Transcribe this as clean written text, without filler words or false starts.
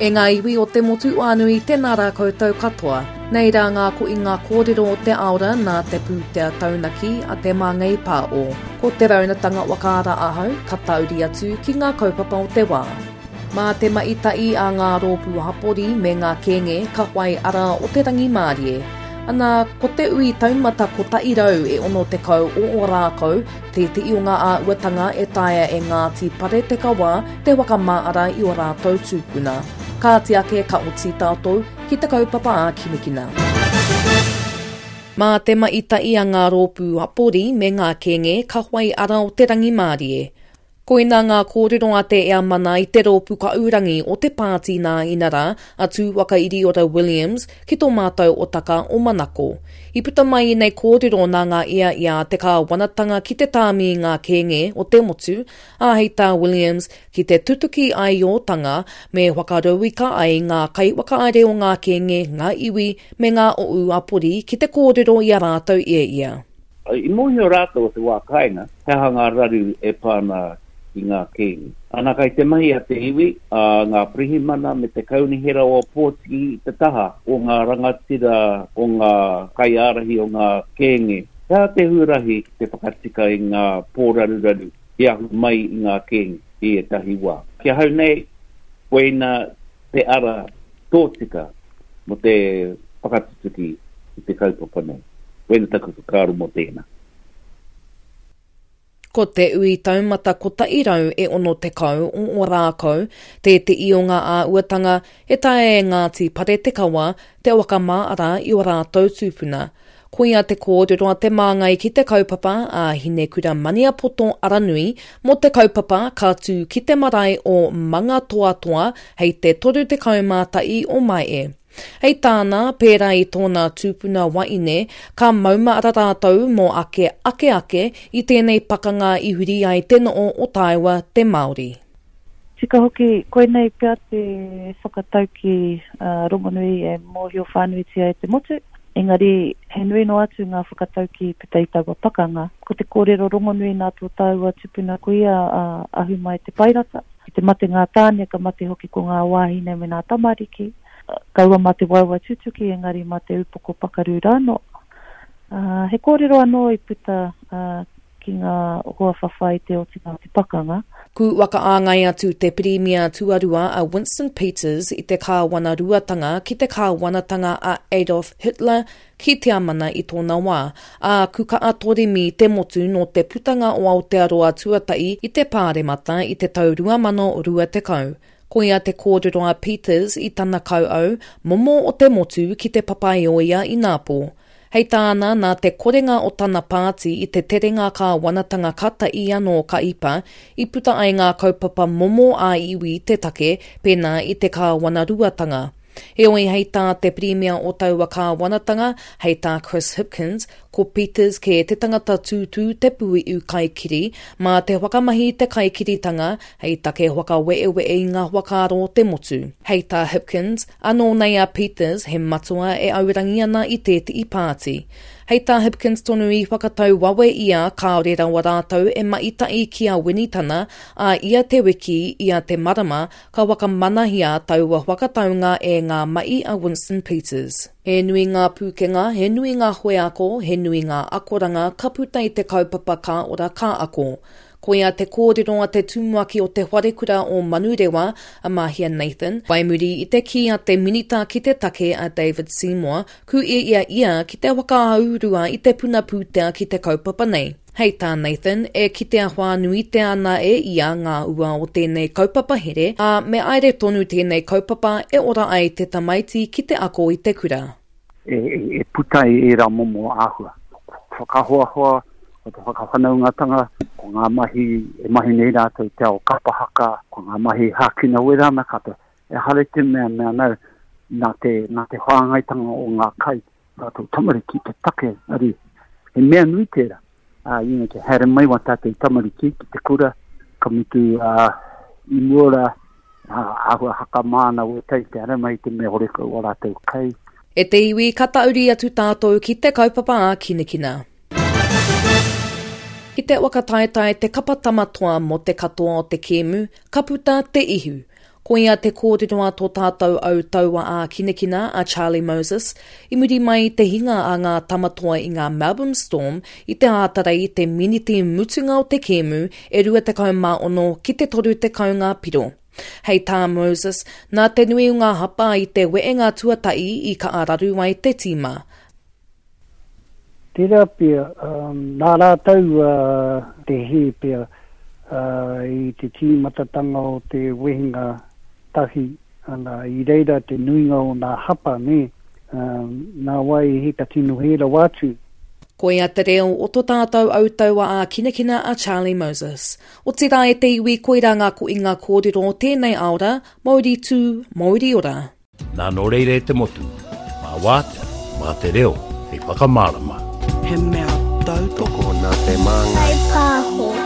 E ngā iwi o te motu whānui, tēnā rā koutou katoa. Nei rā ngā koinga kōrero o te aora nā te pūtea taunaki a Te Māngai Pāo. Ko te raunatanga whakaara ahau, ka tauri atu ki ngā kaupapa o te wā. Mā te maita'i a ngā rōpū hapori me ngā kēnge ka whai ara o te rangimārie. Ana, ko te ui taumata kotahi rau e 60 o Ōrākau tētehi o ngā āhuatanga e taea e Ngāti Paretekawa te whakamāara i ō rātou tūpuna. Kāti ake ka oti tātou ki te kaupapa ā-kinikina. Mā te maita'i a ngā rōpū hapori me ngā kēnge ka whai ara o te rangimārie. Koinā ngā kōrero a te Eamana i te rōpū kaurangi o te pāti nā inarā, a Tūwakairiora Williams, ki tō mātou otaka o Manako. I puta mai ēnei kōrero nā ngā ia i a te kāwanatanga ki te tāmi i ngā kēnge o te motu, ā, hei tā Williams, ki te tutuki āiotanga me whakarauika ai ngā kaiwhakahaere o ngā kēnge, ngā iwi, me ngā ōu apori ki te kōrero i a rātou ia ia. I mōhio rātou o te wā kāinga he aha ngā raru e pā ana ki ngā kēnge. Ana kai te mahi a te iwi, a ngā pirihimana me te kaunihera o Ōpōtiki i te taha o ngā rangatira, o ngā kaiārahi o ngā kēnge, he aha te huarahi ki te whakatika i ngā pōraruraru i ahu mai i ngā kēnge i ētahi wā. Ki ahau nei, koina te ara tōtika mō te whakatutuki i te kaupapa nei. Koina taku whakaaro mō tēnā. Ko te ui taumata kotahi rau e 60 o Ōrākau tēteʻi o ngā āhuatanga e taea e Ngāti Paretekawa te whakamāra i ō rātou tūpuna. Koia te kōrero a te māngai ki te kaupapa a Hinekura Maniapoto Aranui mō te kaupapa ka tū ki te marae o Mangatoatoa hei te 31 o Maehe. Hei tāna, pērā i tōna tupuna waine, ka maumahara rātou mō ake ake ake i tēnei pakanga i huri ai te noo o tāua te Māori. Tika hoki, koinei pea te whakataukī rongonui e mōhio whānuitia e te motu, engari he nui noa atu ngā whakataukī puta i taua pakanga. Ko te kōrero rongonui nā tō tāua tupuna kuia a Ahumai Te Paerata, ki te mate ngā tāne ka mate hoki ko ngā wāhine me ngā tamariki, kaua mā te waewae tutuki engari mā te upoko pakaru rānō. He kōrero anō i puta ki ngā hoa whawhai i te otinga o te pakanga. Ku whakaāngai atu te Pirimia Tuarua a Winston Peters i te kāwanaruatanga ki te kāwanatanga a Adolf Hitler ki Tiamana i tōna wā, ā, ku kaa toremi te motu nō te putanga o Aotearoa tuatahi i te Pāremata i te tau 2020. Koia te kōrero a Peters i tana kauau momo o te motu ki Te Papaioea inapō. Hei tāna, nā te korenga o tana pāti i te terenga kāwanatanga katahi anō ka ipa, i puta ai ngā kaupapa momo ā-iwi te take, pēnā i te kāwanaruatanga. Heoi, hei tā te Pirimia o taua kāwanatanga, hei tā Chris Hipkins, ko Peters kē te tangata tūtū te puiu kaikiri, mā te whakamahi i te kaikiritanga hei take whakaweewe'e i ngā whakaaro o te motu. Hei tā Hipkins, Anō nei a Peters, he matua e aurangi ana i tēteʻi pāti. Hei tā Hipkins tonu i whakatau wawe ia kāore rawa rātou e maʻitaʻi ki a Winitana, ā, ia te wiki, ia te marama, ka whakamanahia taua whakataunga e ngā maʻi a Winston Peters. He nui ngā pūkenga, he nui ngā wheako, he nui ngā akoranga ka puta i te kaupapa Ka Ora Ka Ako. Koia te kōrero a te tumuaki o te wharekura o Manurewa, a Mahia Nathan, whai muri i te kī a te Minita ki te take a David Seymour, ku i a ia ki te whakahaurua i te puna pūtea ki te kaupapa nei. Hei tā Nathan, e kitea whānuitea ana e ia ngā ua o tēnei kaupapa here, ā, me aere tonu tēnei kaupapa e ora ai te tamaiti ki te ako i te kura. E puta ai ērā momo āhua. Whakahoahoa, ko te whakawhanaungatanga, ko ngā mahi e mahi nei rātou i te ao kapa haka, ko ngā mahi hākina wera ana katoa. Ehara i te mea mea nau, nā te, nā te whāngaitanga o ngā kai tātou tamariki te take, engari he mea nui tērā. Ā, you know, te haere mai wā tātou tamariki ki te kura, ka mutu, ā, i mua rā, ā, āhua hakamā ana wētahi te haere mai i te mea horekau ō rātou kai. E te iwi, ka tauri atu tātou ki te kaupapa ā-kinakina. Ki te whakataetae te kapa Tama Toa mō te katoa o te kēmu, ka puta te ihu. Koia te kōrero a tō tātou au taua ākinakina a Charlie Moses i muri mai i te hinga a ngā Tamatoa i ngā Melbourne Storm i te ātarei i te miniti mutunga o te kēmu e 26 ki te 30 ngā piro. Hei tā Moses, nā te nui o ngā hapa i te wehenga tuatahi i kaha raru ai te tīma. Tērā pea, nā rātou te hē pea i te tīmatatanga o te wehenga tahi, ana, i reira te nuinga o nā hapa, nē, nā wai he ka tino hē rawa atu. Koia te reo o to tātou autaua ākinakina a Charlie Moses. Otirā e te iwi koirā ngā koinga kōrero o tēnei aora, Mauri tū, mauri ora. Nā nō reira e te motu, mā wātea, mā te reo hei whakamārama. He mea tautoko nā te māngai. Kaipāho.